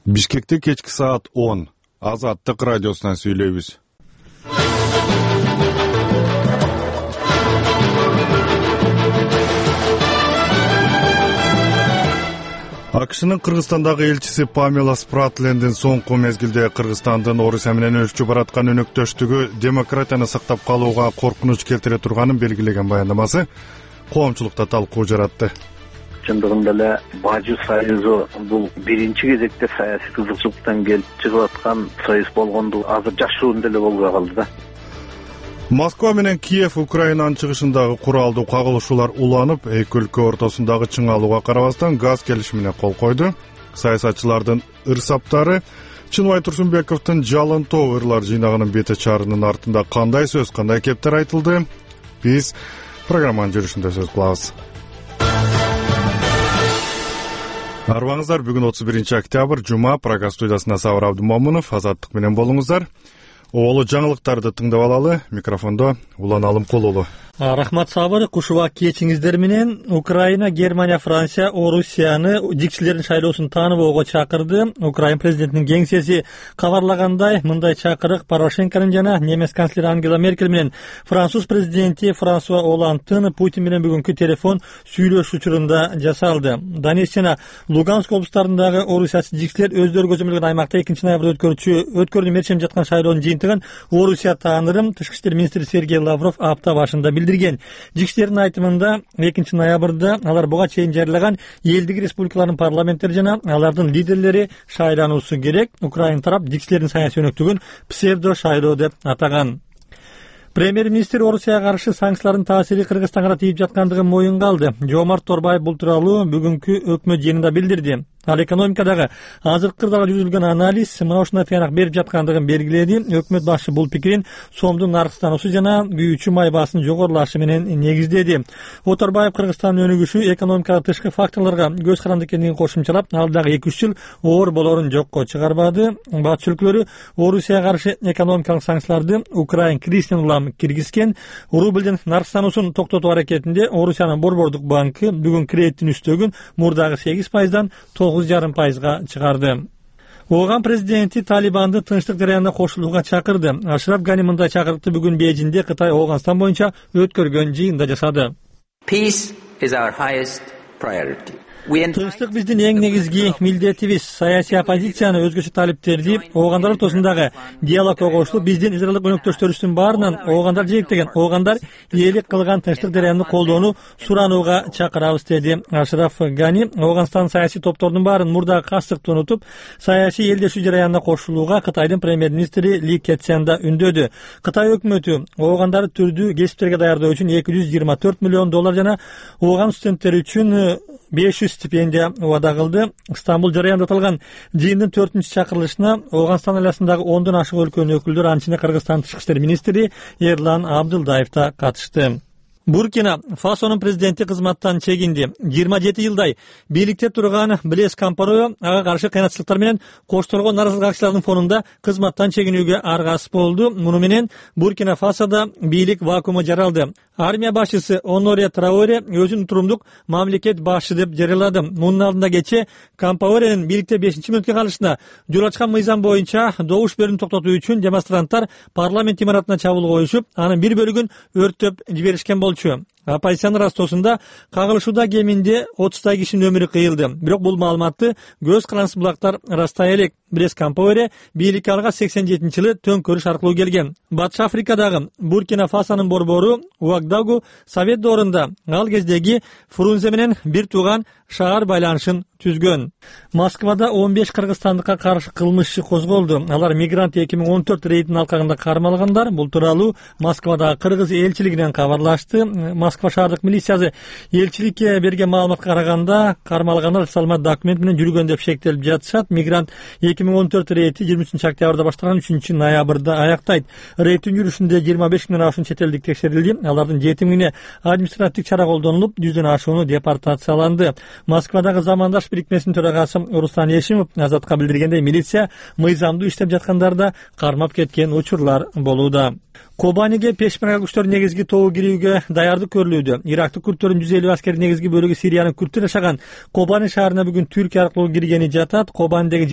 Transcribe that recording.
Бишкекте кечки саат 10. Азаттык радиосунан сүйлөйбүз. АКШнын Кыргызстандагы элчиси Памела Спратлендин соңку мезгилде Кыргызстандын Орусия менен өсүп бараткан өнөктөштүгү демократияны сактап калууга коркунуч келтире турганын белгилеген баяндамасы коомчулукта талкуу жаратты. Чындыгында эле Бажы союзу бул биринчи кезекте саясий кызыкчылыктан келип чыгып аткан союз болгондугу азыр жашыруун деле болбой калды да. Москва менен Киев Украинанын чыгышындагы куралдуу кагылышуулар уланып, эки өлкө ортосундагы чыңалууга карабастан газ келишимине кол койду. Саясатчылардын ырсаптары Чынбай Турсунбековдун жалын тоо ырлар жыйнагынын бете чарынын артында кандай сөз, кандай кептер айтылды? Биз программанын жүрүшүндө сөз кылабыз. Арбаңыздар, бүгүн 31 октябрь, жума, программа студиясында Сабыр Абдумомунов, Азаттык менен болуңуздар. Оолу жаңылыктарды тыңдап алалы. Микрофондо Улан Алымкулулу. Рахмат Сабыр, кушуба кечиңиздер менен. Украина, Германия, Франция, Орусияны жикчилердин шайлоосун тааныбоого чакырды. Украин президентинин кеңсеси кабарлагандай, мындай чакырык Порошенконун жана немец канцлери Ангела Меркель менен француз президенти Франсуа Олландтын Путин менен бүгүнкү телефон сүйлөшүү учурунда жасалды. Донецк жана Луганск облустарындагы орусиячы жикчилер өздөрү көзөмөлгөн аймакта 2 ноябрда өткөрүүнү мерчем жаткан шайлоонун жыйынтыгын Орусия таанырым Тышкы иштер министри Сергей Лавров апта башында билдирген. Жикчилердин айтымында 2 ноябрда алар буга чейин жарыялаган элдик республикалардын парламенттери жана алардын лидерлери шайлануусу керек. Украин тарап жикчилердин саясий өнөктүгүн псевдо шайлоо деп атаган. Премьер-министр Орусияга каршы санкциялардын таасири Кыргызстанга тийип жаткандыгын моюнга алды. Жомарт Торбаев бул тууралуу бүгүнкү өкмөт жыйынында билдирди. Ал экономикадагы азыркы кырдаалга жүргүзүлгөн анализ мына ушундай тыянак берип жаткандыгын белгиледи. Өкмөт башчы бул пикирин сомдун наркстануусу жана күйүүчү май баасынын жогорулашы менен негиздеди. Оторбаев Кыргызстандын өнүгүшү экономикага тышкы факторлорго көз каранды экендигин кошумчалап, алдагы 2-3 жыл оор болорун жокко чыгарбады. Батыш өлкөлөрү Орусияга каршы экономикалык санкцияларды Украин кризисинен улам киргизген. Рублдин наркстануусун токтотуу аракетинде Орусиянын Борбордук банкы бүгүн кредиттин үстөгүн мурдагы 8%дан 9,5%га чыгарды. Ооган президенти Талибанды тынчтык жараянына кошулууга чакырды. Ашраф Гани мындай чакырыкты бүгүн Бейжиңде Кытай Ооганстан боюнча өткөргөн жыйында жасады. Peace is our highest priority. Тынчтык биздин эң негизги милдетибиз. Саясий оппозицияны, өзгөчө талиптерди оогандар ортосундагы диалогко кошулуп, биздин израилдик өнөктөштөрүбүздүн баарынан оогандар жээктеген, оогандар ээлик кылган тынчтык жараянды колдоону суранууга чакырабыз, деди Ашраф Гани. Ооганстан саясий топтордун баарын мурдагы кастыкты унутуп, саясий элдешүү жараянына кошулууга Кытайдын премьер-министри Ли Кэцянда үндөдү. Кытай өкмөтү оогандарды түрдүү кесиптерге даярдоо үчүн $224 миллион жана ооган студенттери үчүн 500 стипендия убада кылды. Стамбул жараянда аталган жыйындын 4-чакырылышына Ооганстан айласындагы 10дон ашык өлкөнүн өкүлдөрү, анча Кыргызстан Тышкы иштер министри Эрлан Абдылдаев да катышты. Буркина Фасонун президенти кызматтан чегинди. 27 жылдай бийликте турган Блез Кампароё ага каршы кыйынчылыктар менен коштолгон наразылык акцияларынын фонунда кызматтан чегинүүгө аргасыз болду. Муну менен Буркина Фасода бийлик вакууму жаралды. Армия башчысы Оноре Траоре өзүн турумдук мамлекет башчы деп жарыялады. Мунун алдында кече Кампаоренин бийликте 5-мүнөткө калышына жол ачкан мыйзам боюнча добуш берүүнү токтотуу үчүн демонстранттар парламент имаратына чабуул коюшуп, анын бир бөлүгүн өрттөп жиберишкен болчу. Оппозициянын растоосунда кагылышууда кеминде 30 кишинин өмүрү кыйылды. Бирок бул маалыматты көз карандысыз булактар растай элек. Блез Кампаоре бийликке алга 87-жылы төңкөрүш аркылуу келген. Батыш Африкадагы Буркина Фасонун борбору Уагдагу Совет доорунда ал кездеги Фрунзе менен бир тууган шаар байланышын түзгөн. Москвада 15 кыргызстандыкка каршы кылмыш иши козголду. Алар мигрант 2014 рейдинин алкагында кармалгандар. Бул тууралуу Москвадагы кыргыз элчилигинен кабарлашты. Москва шаардык милициясы элчиликке берген маалыматка караганда, кармалгандар салмат документ менен жүргөн деп шектелип жатышат. Мигрант 2014 рейди 23 октябрда башталган, 3 ноябрда аяктайт. Рейдтин жүрүшүндө 25 миңден ашуун чет элдик текшерилди. Алардын 7 миңине административдик чара колдонулуп, 100дөн ашууну депортацияланды. Москвадагы замандаш бирикмесинин төрагасы Руслан Ешимов Азатка билдиргендей, милиция мыйзамдуу иштеп жаткандарда кармап кеткен учурлар болууда. Кобаниге пешмерга күчтөрүнүн негизги тобу кирүүгө даярдык көрүлүүдө. Ирактык күрттөрдүн 150 аскери негизги бөлүгү Сириянын күрттүн жашаган Кобани шаарына бүгүн Түркия аркылуу киргени жатат. Кобанидеги